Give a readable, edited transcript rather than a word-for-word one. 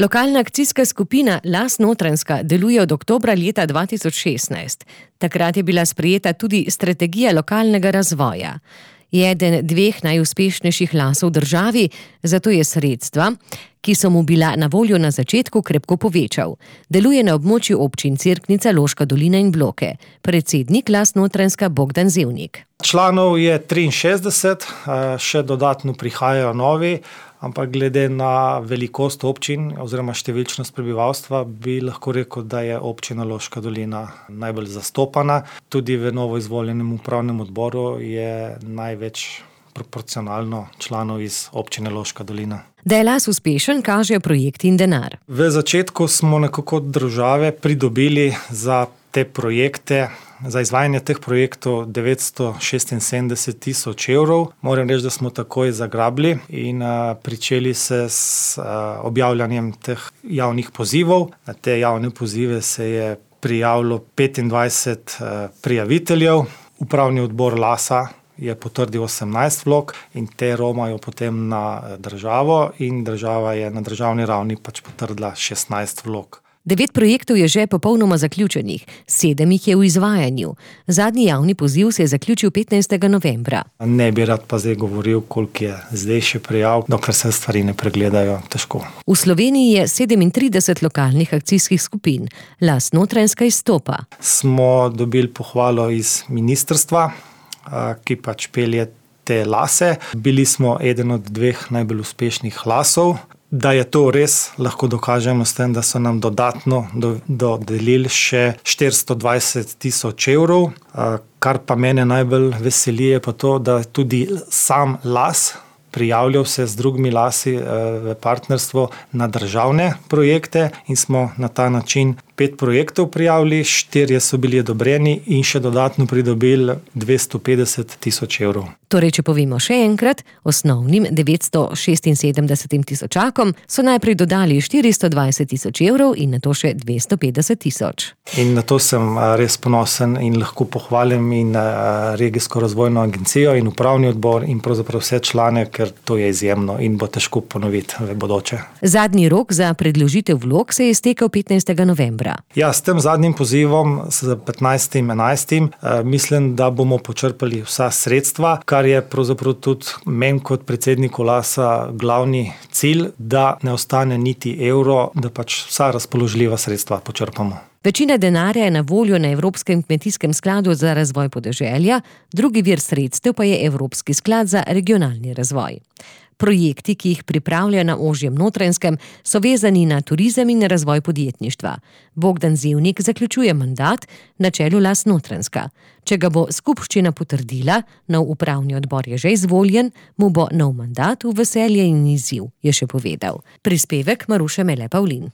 Lokalna akcijska skupina Las Notranjska deluje od oktobra leta 2016. Takrat je bila sprejeta tudi strategija lokalnega razvoja. Je eden dveh najuspešnejših lasov v državi, zato je sredstva, ki so mu bila na voljo na začetku, krepko povečal. Deluje na območju občin Cerknica, Loška dolina in Bloke. Predsednik Las Notranjska Bogdan Zevnik. Članov je 63, še dodatno prihajajo novi, ampak glede na velikost občin oziroma številčnost prebivalstva bi lahko rekel, da je občina Loška dolina najbolj zastopana. Tudi v novoizvoljenem upravnem odboru je največ proporcionalno članov iz občine Loška dolina. Da je Las uspešen, kažejo projekti in denar. V začetku smo nekako od države pridobili za te projekte, za izvajanje teh projektov 976 tisoč evrov. Moram reči, da smo takoj zagrabili in pričeli se s objavljanjem teh javnih pozivov. Na te javne pozive se je prijavilo 25 prijaviteljev. Upravni odbor Lasa je potrdil 18 vlog in te romajo potem na državo in država je na državni ravni potrdila 16 vlog. 9 projektov je že popolnoma zaključenih, 7 jih je v izvajanju. Zadnji javni poziv se je zaključil 15. novembra. Ne bi rad pa zdaj govoril, koliko je zdaj še prijav, dokler se stvari ne pregledajo, težko. V Sloveniji je 37 lokalnih akcijskih skupin. Las Notranjska izstopa. Smo dobili pohvalo iz ministrstva, ki pelje te lase. Bili smo eden od 2 najbolj uspešnih lasov. Da je to res, lahko dokažemo s tem, da so nam dodatno dodelili še 420 tisoč evrov. Kar pa mene najbolj veseli je pa to, da tudi sam las prijavljal se z drugimi lasi v partnerstvo na državne projekte in smo na ta način 5 projektov prijavili, 4 so bili odobreni in še dodatno pridobili 250 tisoč evrov. Torej, če povemo še enkrat, osnovnim 976 tisočakom so najprej dodali 420 tisoč evrov in nato še 250 tisoč. In na to sem res ponosen in lahko pohvalim in regijsko razvojno agencijo in upravni odbor in pravzaprav vse člane, ker to je izjemno in bo težko ponoviti v bodoče. Zadnji rok za predložitev vlog se je iztekel 15. novembra. Ja, s tem zadnjim pozivom, s 15.11. Mislim, da bomo počrpali vsa sredstva, kar je pravzaprav tudi meni kot predsedniku Lasa glavni cilj, da ne ostane niti evro, da vsa razpoložljiva sredstva počrpamo. Večina denarja je na voljo na Evropskem kmetijskem skladu za razvoj podeželja, drugi vir sredstev pa je Evropski sklad za regionalni razvoj. Projekti, ki jih pripravlja na ožjem Notranjskem, so vezani na turizem in razvoj podjetništva. Bogdan Zevnik zaključuje mandat na čelu Las Notranjska. Če ga bo skupščina potrdila, nov upravni odbor je že izvoljen, mu bo nov mandat v veselje in izziv, je še povedal. Prispevek Maruše Mele Pavlin.